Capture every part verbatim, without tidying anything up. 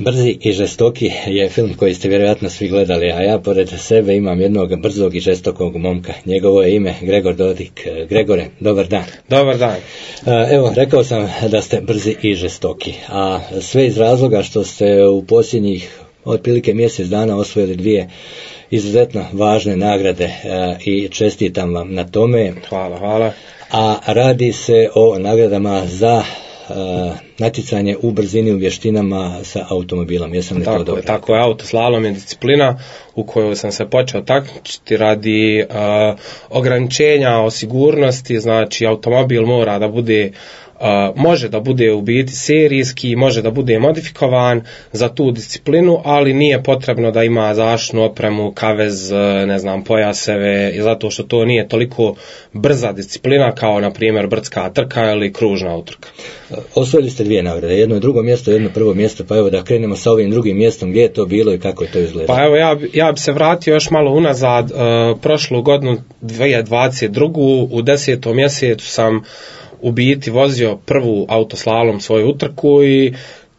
Brzi i žestoki je film koji ste vjerojatno svi gledali, a ja pored sebe imam jednog brzog i žestokog momka. Njegovo je ime Gregor Dodik. Gregore, dobar dan. Dobar dan. Evo, rekao sam da ste brzi i žestoki, a sve iz razloga što ste u posljednjih otprilike mjesec dana osvojili dvije izuzetno važne nagrade i čestitam vam na tome. Hvala, hvala. A radi se o nagradama za Uh, natjecanje u brzini u vještinama sa automobilom. Jesam li tako to dobro? Je, tako je, autoslalom je disciplina u kojoj sam se počeo takmičiti radi uh, ograničenja o sigurnosti, znači automobil mora da bude Uh, može da bude u biti serijski, može da bude modifikovan za tu disciplinu, ali nije potrebno da ima zaštitnu opremu, kavez, ne znam, pojaseve, zato što to nije toliko brza disciplina kao, na primjer, brdska trka ili kružna utrka. Osvojili ste dvije nagrade, jedno drugo mjesto, jedno prvo mjesto, pa evo da krenemo sa ovim drugim mjestom, gdje je to bilo i kako je to izgledalo? Pa evo, ja, ja bi se vratio još malo unazad, uh, prošlu godinu dvije tisuće dvadeset drugu u desetom mjesecu sam u biti vozio prvu autoslalom svoju utrku i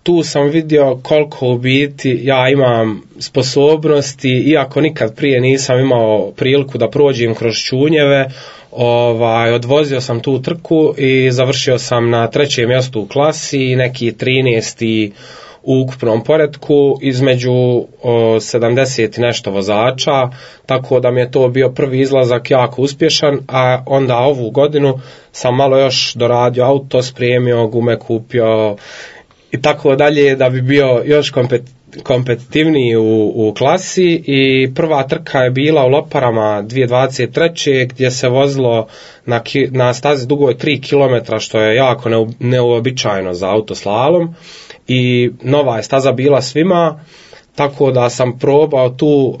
tu sam vidio koliko u biti ja imam sposobnosti, iako nikad prije nisam imao priliku da prođem kroz čunjeve. Ovaj, odvozio sam tu trku i završio sam na trećem mjestu u klasi, neki trinaesti u ukupnom poretku između o, sedamdeset i nešto vozača, tako da mi je to bio prvi izlazak jako uspješan, a onda ovu godinu sam malo još doradio auto, spremio, gume kupio i tako dalje da bi bio još kompet, kompetitivniji u, u klasi. I prva trka je bila u Loparama dvije tisuće dvadeset treće gdje se vozilo na, na stazi dugoj tri kilometra, što je jako ne, neuobičajeno za autoslalom. I nova je staza bila svima, tako da sam probao tu uh,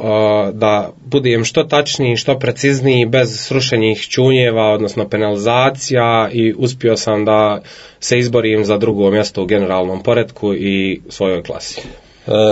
da budem što tačniji, što precizniji, bez srušenih čunjeva, odnosno penalizacija, i uspio sam da se izborim za drugo mjesto u generalnom poretku i svojoj klasi.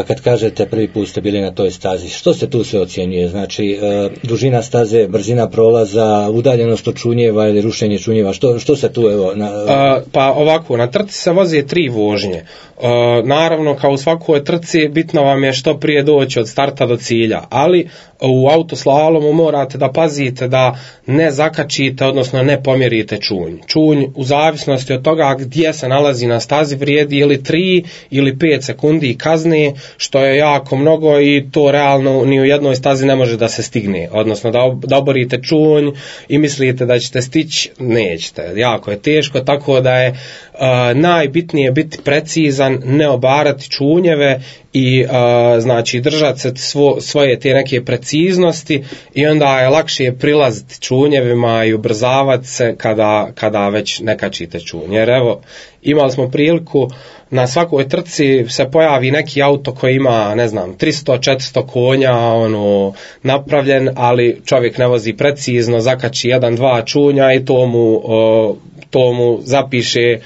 Kad kažete prvi put ste bili na toj stazi, što se tu sve ocjenjuje? Znači, dužina staze, brzina prolaza, udaljenost od čunjeva ili rušenje čunjeva, što, što se tu evo... Na... A, pa ovako, na trci se voze tri vožnje. A, naravno, kao u svakoj trci, bitno vam je što prije doći od starta do cilja, ali u autoslalomu morate da pazite da ne zakačite, odnosno ne pomjerite čunj. Čunj, u zavisnosti od toga gdje se nalazi na stazi, vrijedi ili tri ili pet sekundi kazne, što je jako mnogo i to realno ni u jednoj stazi ne može da se stigne. Odnosno da, ob, da oborite čunj i mislite da ćete stići, nećete. Jako je teško, tako da je uh, najbitnije biti precizan, ne obarati čunjeve i uh, znači držati se svo, svoje te neke preciznosti, i onda je lakše prilaziti čunjevima i ubrzavati se kada, kada već ne kačite čunj. Jer evo, imali smo priliku, na svakoj trci se pojavi neki auto koji ima, ne znam, tristo četiristo konja, ono, napravljen, ali čovjek ne vozi precizno, zakači jedan, dva čunja i to mu, o, to mu zapiše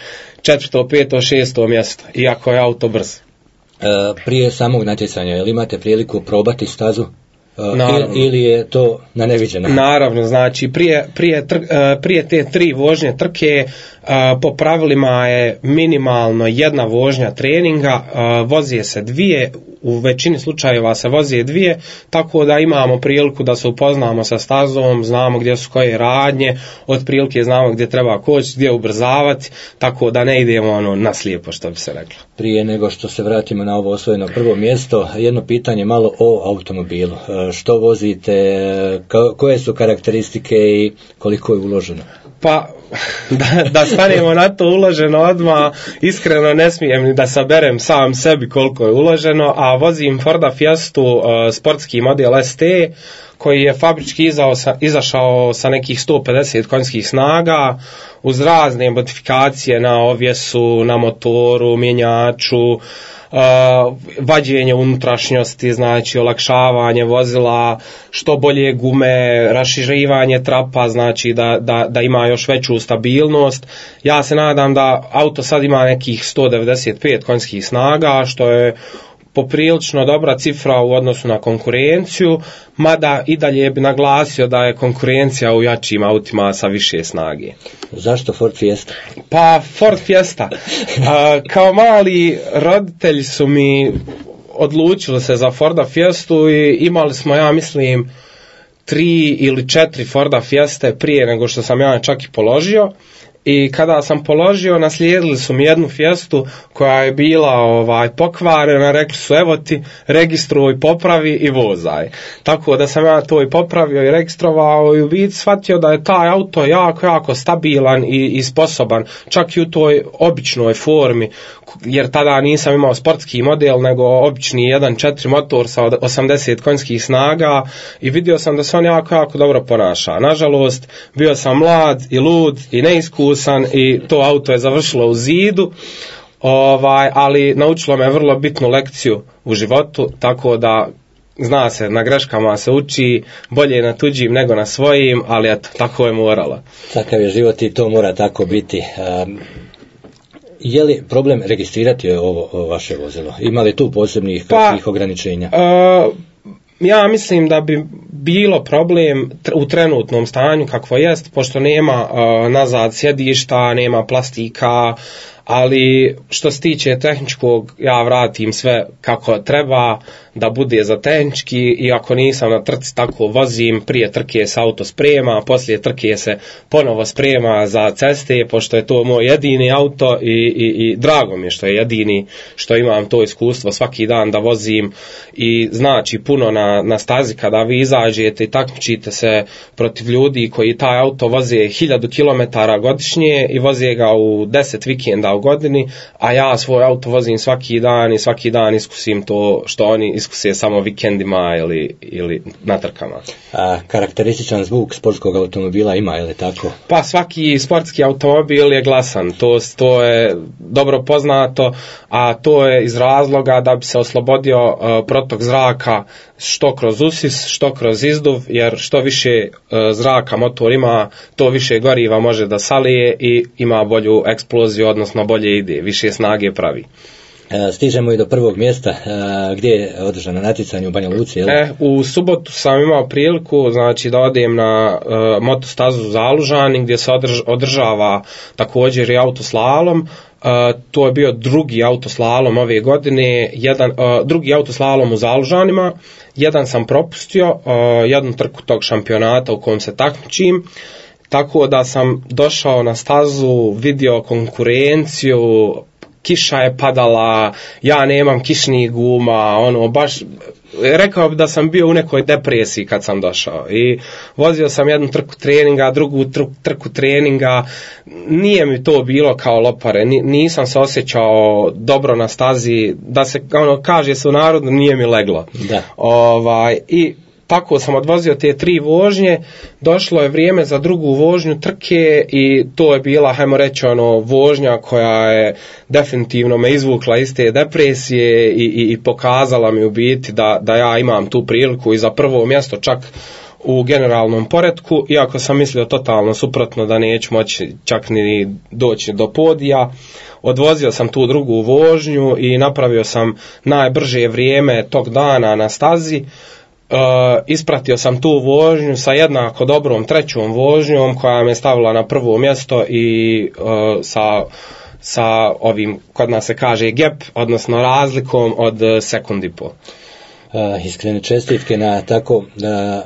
četvrto, peto, šesto mjesto, iako je auto brz. Prije samog natjecanja, jel imate priliku probati stazu? Naravno. Ili je to na neviđeno? Naravno, znači prije, prije, tr, prije te tri vožnje trke po pravilima je minimalno jedna vožnja treninga, vozi se dvije, u većini slučajeva se vozi dvije, tako da imamo priliku da se upoznamo sa stazom, znamo gdje su koje radnje, otprilike znamo gdje treba koći, gdje ubrzavati, tako da ne idemo ono na slijepo, što bi se reklo. Prije nego što se vratimo na ovo osvojeno prvo mjesto, jedno pitanje malo o automobilu. Što vozite, koje su karakteristike i koliko je uloženo? Pa, da, da stanemo na to uloženo odmah, iskreno ne smijem ni da saberem sam sebi koliko je uloženo, a vozim Forda Fiestu uh, sportski model S T, koji je fabrički izao sa, izašao sa nekih sto pedeset konjskih snaga, uz razne modifikacije na ovjesu, na motoru, mjenjaču, Uh, vađenje unutrašnjosti, znači olakšavanje vozila, što bolje gume, raširivanje trapa, znači da, da, da ima još veću stabilnost. Ja se nadam da auto sad ima nekih sto devedeset pet konjskih snaga, što je poprilično dobra cifra u odnosu na konkurenciju, mada i dalje bi naglasio da je konkurencija u jačim autima sa više snage. Zašto Ford Fiesta? Pa Ford Fiesta. A, kao mali roditelji su mi odlučili se za Forda Fiestu i imali smo, ja mislim, tri ili četiri Forda Fieste prije nego što sam ja čak i položio. I kada sam položio, naslijedili su mi jednu Fiestu koja je bila ovaj pokvarena, rekli su evo ti, registruj, popravi i vozaj. Tako da sam ja to i popravio i registrovao i u biti shvatio da je taj auto jako, jako stabilan i, i sposoban, čak i u toj običnoj formi, jer tada nisam imao sportski model, nego obični jedan četiri motor sa osamdeset konjskih snaga i vidio sam da se on jako, jako dobro ponaša. Nažalost, bio sam mlad i lud i neiskusan i to auto je završilo u zidu, ovaj, ali naučilo me vrlo bitnu lekciju u životu, tako da zna se, na greškama se uči, bolje na tuđim nego na svojim, ali eto, tako je moralo. Takav je život i to mora tako biti. Um... Je li problem registrirati ovo, ovo vaše vozilo? Ima li tu posebnih kakvih pa, ograničenja? Uh, ja mislim da bi bilo problem u trenutnom stanju kakvo jest, pošto nema uh, nazad sjedišta, nema plastika, ali što se tiče tehničkog, ja vratim sve kako treba da bude za tehnički i ako nisam na trci tako vozim, prije trke se auto sprema, poslije trke se ponovo sprema za ceste, pošto je to moj jedini auto i, i, i drago mi je što je jedini, što imam to iskustvo svaki dan da vozim i znači puno na, na stazi kada vi izađete i takmičite se protiv ljudi koji taj auto voze hiljadu kilometara godišnje i voze ga u deset vikenda u godini, a ja svoj auto vozim svaki dan i svaki dan iskusim to što oni iskuse samo vikendima ili, ili na trkama. A karakterističan zvuk sportskog automobila ima, je li tako? Pa svaki sportski automobil je glasan, to, to je dobro poznato, a to je iz razloga da bi se oslobodio uh, protok zraka što kroz usis, što kroz izduv, jer što više uh, zraka motor ima, to više goriva može da salije i ima bolju eksploziju, odnosno bolje ide, više snage pravi. Stižemo i do prvog mjesta, gdje je održano natjecanje u Banja Luci, je li? E, u subotu sam imao priliku, znači, da odem na uh, motostazu Zalužani, gdje se održ, održava također i autoslalom. Uh, to je bio drugi autoslalom ove godine, jedan, uh, drugi autoslalom u Zalužanima, jedan sam propustio, uh, jednu trku tog šampionata u kojem se takmičim, tako da sam došao na stazu, vidio konkurenciju, kiša je padala, ja nemam kišnih guma, ono, baš, rekao bi da sam bio u nekoj depresiji kad sam došao i vozio sam jednu trku treninga, drugu trku treninga, nije mi to bilo kao lopare, nisam se osjećao dobro na stazi, da se, ono, kaže se u narodu, nije mi leglo. Da. Ovaj, i tako sam odvozio te tri vožnje, došlo je vrijeme za drugu vožnju trke i to je bila, hajmo reći, ono, vožnja koja je definitivno me izvukla iz te depresije i, i, i pokazala mi u biti da, da ja imam tu priliku i za prvo mjesto čak u generalnom poretku, iako sam mislio totalno suprotno da neću moći čak ni doći do podija. Odvozio sam tu drugu vožnju i napravio sam najbrže vrijeme tog dana na stazi. Uh, ispratio sam tu vožnju sa jednako dobrom trećom vožnjom koja me stavila na prvo mjesto i uh, sa, sa ovim, kod nas se kaže gap, odnosno razlikom od sekund i pol. Uh, iskrene čestitke na tako uh,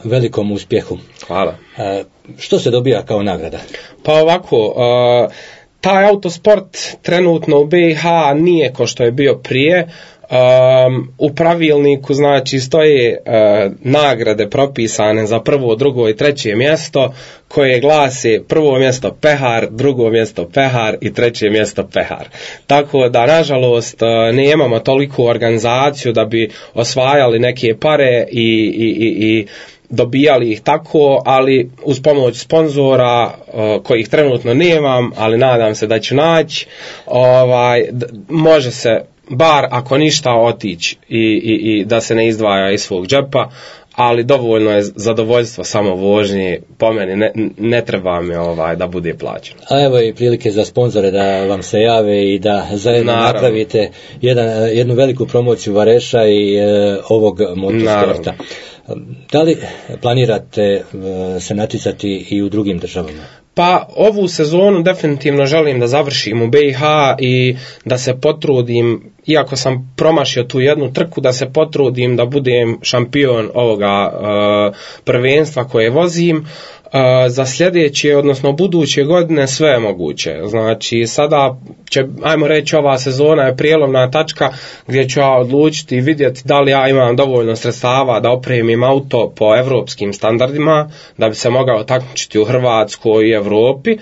velikom uspjehu. Hvala. Uh, što se dobija kao nagrada? Pa ovako, uh, taj autosport trenutno u B i H nije ko što je bio prije. Um, u pravilniku znači stoje uh, nagrade propisane za prvo, drugo i treće mjesto koje glase prvo mjesto pehar, drugo mjesto pehar i treće mjesto pehar. Tako da nažalost uh, nemamo toliku organizaciju da bi osvajali neke pare i, i, i, i dobijali ih tako, ali uz pomoć sponzora uh, kojih trenutno nemam, ali nadam se da ću naći, ovaj, d- može se bar ako ništa otići i, i, i da se ne izdvaja iz svog džepa, ali dovoljno je zadovoljstvo samo vožnje, po meni ne, ne treba mi ovaj, da bude plaćeno. A evo i prilike za sponzore da vam se jave i da zajedno Naravno. napravite jedan, jednu veliku promociju Vareša i e, ovog motosporta. Da li planirate e, se natjecati i u drugim državama? Pa ovu sezonu definitivno želim da završim u B i H i da se potrudim, iako sam promašio tu jednu trku, da se potrudim da budem šampion ovoga uh, prvenstva koje vozim. Uh, za sljedeće, odnosno buduće godine sve je moguće. Znači sada će, ajmo reći, ova sezona je prijelomna tačka gdje ću ja odlučiti i vidjeti da li ja imam dovoljno sredstava da opremim auto po evropskim standardima, da bi se mogao takmičiti u Hrvatskoj i Europi,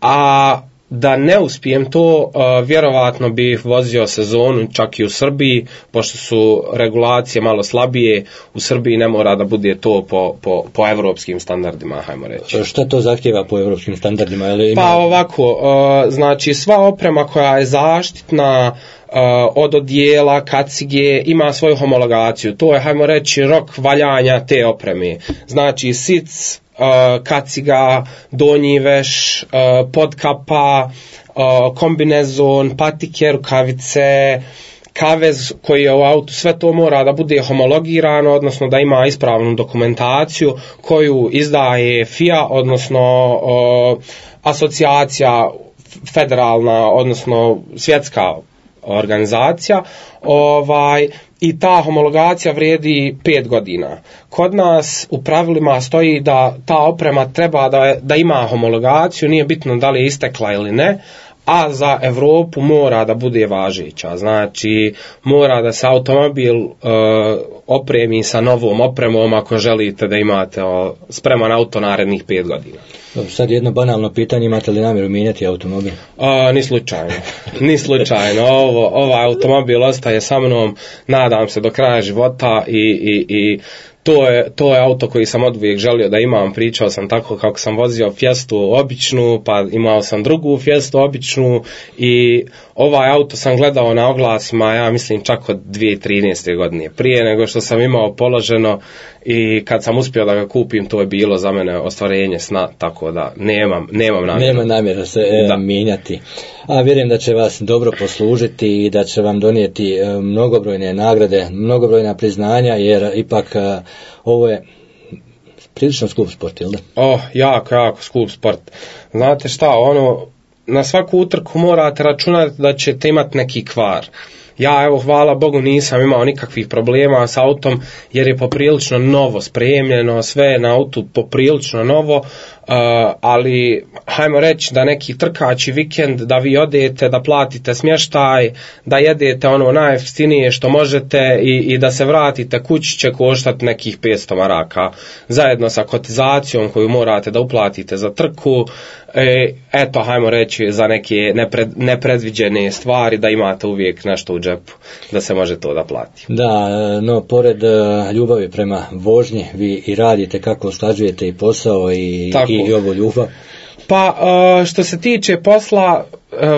a da ne uspijem to, uh, vjerovatno bih vozio sezonu čak i u Srbiji, pošto su regulacije malo slabije, u Srbiji ne mora da bude to po, po, po evropskim standardima, hajmo reći. Šta to zahtjeva po evropskim standardima? Ili ima... Pa ovako, uh, znači sva oprema koja je zaštitna, Uh, od odijela, kacige, ima svoju homologaciju. To je, hajmo reći, rok valjanja te opreme. Znači sic, uh, kaciga, donji veš, uh, podkapa, uh, kombinezon, patike, rukavice, kavez koji je u autu, sve to mora da bude homologirano, odnosno da ima ispravnu dokumentaciju koju izdaje F I A, odnosno uh, asocijacija federalna, odnosno svjetska organizacija, ovaj, i ta homologacija vrijedi pet godina. Kod nas u pravilima stoji da ta oprema treba da, da ima homologaciju, nije bitno da li je istekla ili ne, a za Europu mora da bude važeća. Znači mora da se automobil uh, opremi sa novom opremom ako želite da imate uh, spreman auto narednih pet godina. Sad jedno banalno pitanje, imate li namjeru mijenjati automobil? A, ni slučajno, ni slučajno. Ovo, ovaj automobil ostaje sa mnom, nadam se, do kraja života i, i, i to je, to je auto koji sam oduvijek želio da imam. Pričao sam tako kako sam vozio Fiestu običnu, pa imao sam drugu Fiestu običnu i ovaj auto sam gledao na oglasima, ja mislim čak od dvije tisuće trinaeste godine. Prije nego što sam imao položeno i kad sam uspio da ga kupim, to je bilo za mene ostvarenje sna, tako da nemam, nemam namjeru. Nema namjera se e, da. mijenjati. A vjerujem da će vas dobro poslužiti i da će vam donijeti e, mnogobrojne nagrade, mnogobrojna priznanja, jer ipak e, ovo je prilično skup sport, ili da? Oh, jako, jako skup sport. Znate šta, ono, na svaku utrku morate računati da ćete imati neki kvar. Ja, evo, hvala Bogu, nisam imao nikakvih problema s autom, jer je poprilično novo spremljeno, sve je na autu poprilično novo, uh, ali hajmo reći da neki trkači vikend, da vi odete, da platite smještaj, da jedete ono najjeftinije što možete i, i da se vratite kući će koštati nekih petsto maraka, zajedno sa kotizacijom koju morate da uplatite za trku. E, eto, hajmo reći, za neke nepred, nepredviđene stvari da imate uvijek nešto u džepu, da se može to da plati. Da, no pored ljubavi prema vožnji, vi i radite, kako usklađujete i posao i, i ovu ljubav? Pa, što se tiče posla,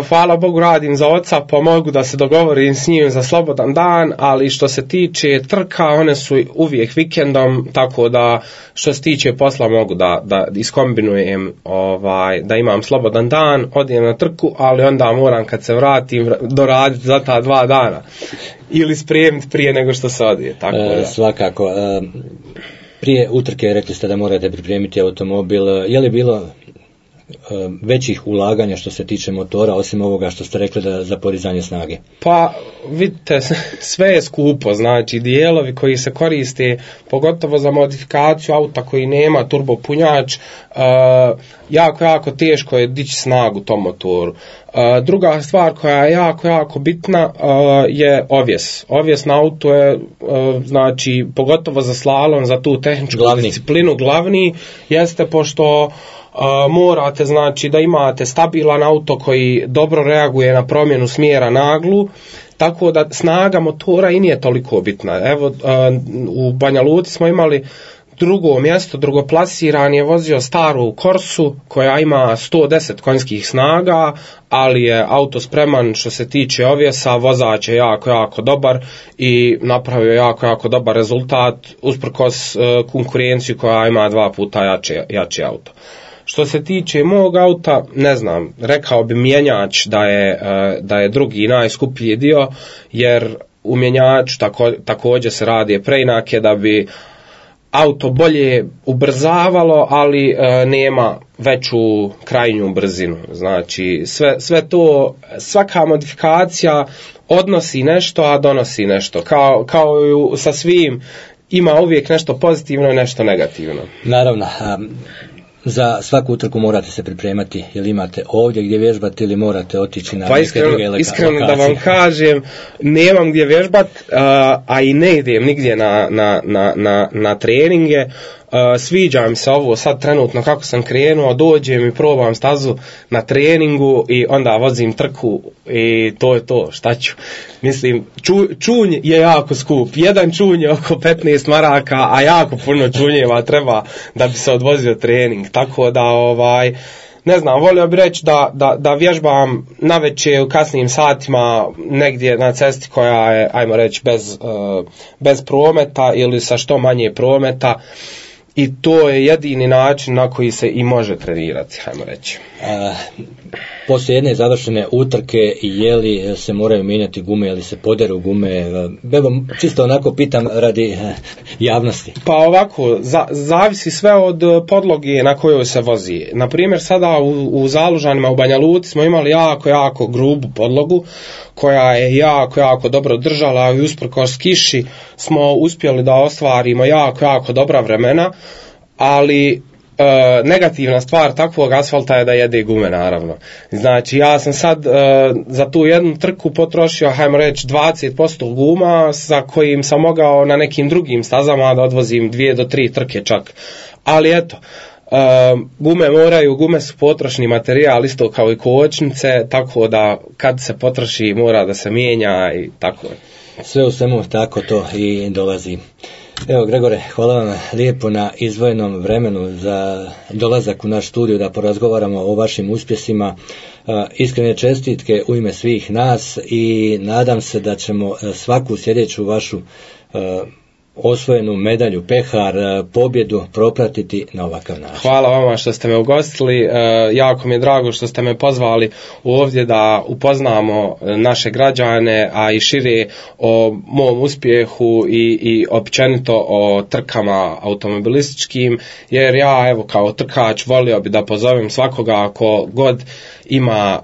hvala Bogu radim za oca, pa mogu da se dogovorim s njim za slobodan dan, ali što se tiče trka, one su uvijek vikendom, tako da što se tiče posla mogu da, da iskombinujem, ovaj, da imam slobodan dan, odijem na trku, ali onda moram kad se vratim doraditi za ta dva dana ili spremiti prije nego što se odije. Tako da. E, svakako. E, prije utrke rekli ste da morate pripremiti automobil, je li bilo većih ulaganja što se tiče motora, osim ovoga što ste rekli da za podizanje snage? Pa vidite, sve je skupo, znači dijelovi koji se koriste, pogotovo za modifikaciju auta koji nema turbopunjač, uh, jako, jako teško je dići snagu tom motoru. Uh, druga stvar koja je jako, jako bitna uh, je ovjes. Ovjes na autu je, uh, znači, pogotovo za slalom, za tu tehničku glavni. disciplinu, glavni jeste pošto Uh, morate, znači, da imate stabilan auto koji dobro reaguje na promjenu smjera naglu, tako da snaga motora i nije toliko bitna. Evo, uh, u Banja Luci smo imali drugo mjesto, drugoplasirani je vozio staru Corsu koja ima sto deset konjskih snaga, ali je auto spreman što se tiče ovjesa, vozač je jako, jako dobar i napravio jako, jako dobar rezultat usprkos uh, konkurenciju koja ima dva puta jače, jači auto. Što se tiče mog auta, ne znam, rekao bi mjenjač da je, uh, da je drugi najskuplji dio, jer u mjenjaču tako, također se radi preinake da bi auto bolje ubrzavalo, ali e, nema veću krajnju brzinu. Znači sve, sve to, svaka modifikacija odnosi nešto, a donosi nešto. Kao, kao i sa svim, ima uvijek nešto pozitivno i nešto negativno. Naravno. Um... Za svaku utrku morate se pripremati, ili imate ovdje gdje vježbati ili morate otići na pa neke druge lokacije? Iskreno da vam kažem, nemam gdje vježbat, a, a i ne idem nigdje na, na, na, na, na treninge. Uh, sviđa mi se ovo sad trenutno kako sam krenuo, dođem i probam stazu na treningu i onda vozim trku i to je to, šta ću. Mislim, ču, čunj je jako skup, jedan čunj je oko petnaest maraka, a jako puno čunjeva treba da bi se odvozio trening, tako da ovaj, ne znam, volio bih reći da, da, da vježbam navečer u kasnim satima negdje na cesti koja je, ajmo reći, bez, uh, bez prometa ili sa što manje prometa. I to je jedini način na koji se i može trenirati, hajmo reći. A, poslije jedne završene utrke, je li se moraju mijenjati gume, je li se poderu gume? Evo, čisto onako pitam radi javnosti. Pa ovako, za, zavisi sve od podloge na kojoj se vozi. Naprimjer, sada u, u Zalužanima u Banja Luci smo imali jako, jako grubu podlogu, koja je jako, jako dobro držala i usprkos kiši smo uspjeli da ostvarimo jako, jako dobra vremena, ali e, negativna stvar takvog asfalta je da jede gume, naravno. Znači, ja sam sad e, za tu jednu trku potrošio, hajmo reći, dvadeset posto guma sa kojim sam mogao na nekim drugim stazama da odvozim dvije do tri trke čak. Ali eto, Uh, gume moraju, gume su potrošni materijal isto kao i kočnice, tako da kad se potroši mora da se mijenja i tako. Sve u svemu tako to i dolazi. Evo, Gregore, hvala vam lijepo na izdvojenom vremenu za dolazak u naš studiju da porazgovaramo o vašim uspjesima. Uh, iskrene čestitke u ime svih nas i nadam se da ćemo svaku sljedeću vašu uh, osvojenu medalju, pehar, pobjedu propratiti na ovakav način. Hvala vama što ste me ugostili, e, jako mi je drago što ste me pozvali ovdje da upoznamo naše građane, a i šire o mom uspjehu i, i općenito o trkama automobilističkim, jer ja evo kao trkač volio bi da pozovem svakoga ako god ima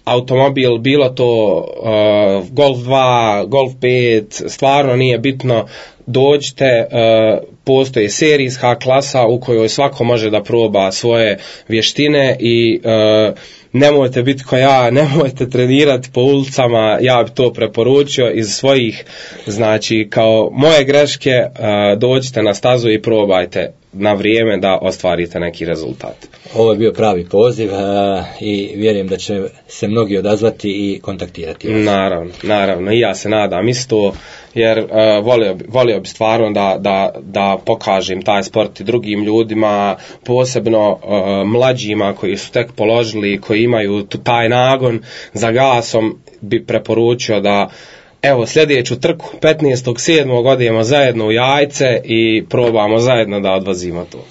automobil, bilo to uh, Golf dva, Golf pet, stvarno nije bitno, dođite, uh, postoji serijska klasa u kojoj svako može da proba svoje vještine i uh, nemojte biti kao ja, nemojte trenirati po ulicama, ja bi to preporučio iz svojih, znači kao moje greške, uh, dođite na stazu i probajte na vrijeme da ostvarite neki rezultat. Ovo je bio pravi poziv a, i vjerujem da će se mnogi odazvati i kontaktirati vas. Naravno, naravno, i ja se nadam isto, jer uh, volio, bi, volio bi stvarno da, da, da pokažem taj sport i drugim ljudima, posebno uh, mlađima koji su tek položili, koji imaju taj nagon za gasom, bi preporučio da evo sljedeću trku petnaestog sedmog odemo zajedno u Jajce i probamo zajedno da odvozimo to.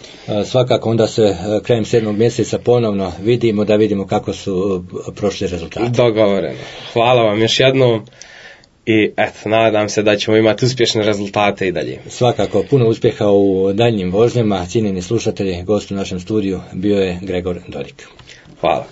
Svakako onda se krajem sedmog mjeseca ponovno vidimo da vidimo kako su prošli rezultati. Dogovoreno. Hvala vam još jednom i eto, nadam se da ćemo imati uspješne rezultate i dalje. Svakako, puno uspjeha u daljnjim vožnjama. Cijenjeni slušatelji, gost u našem studiju bio je Gregor Dodik. Hvala.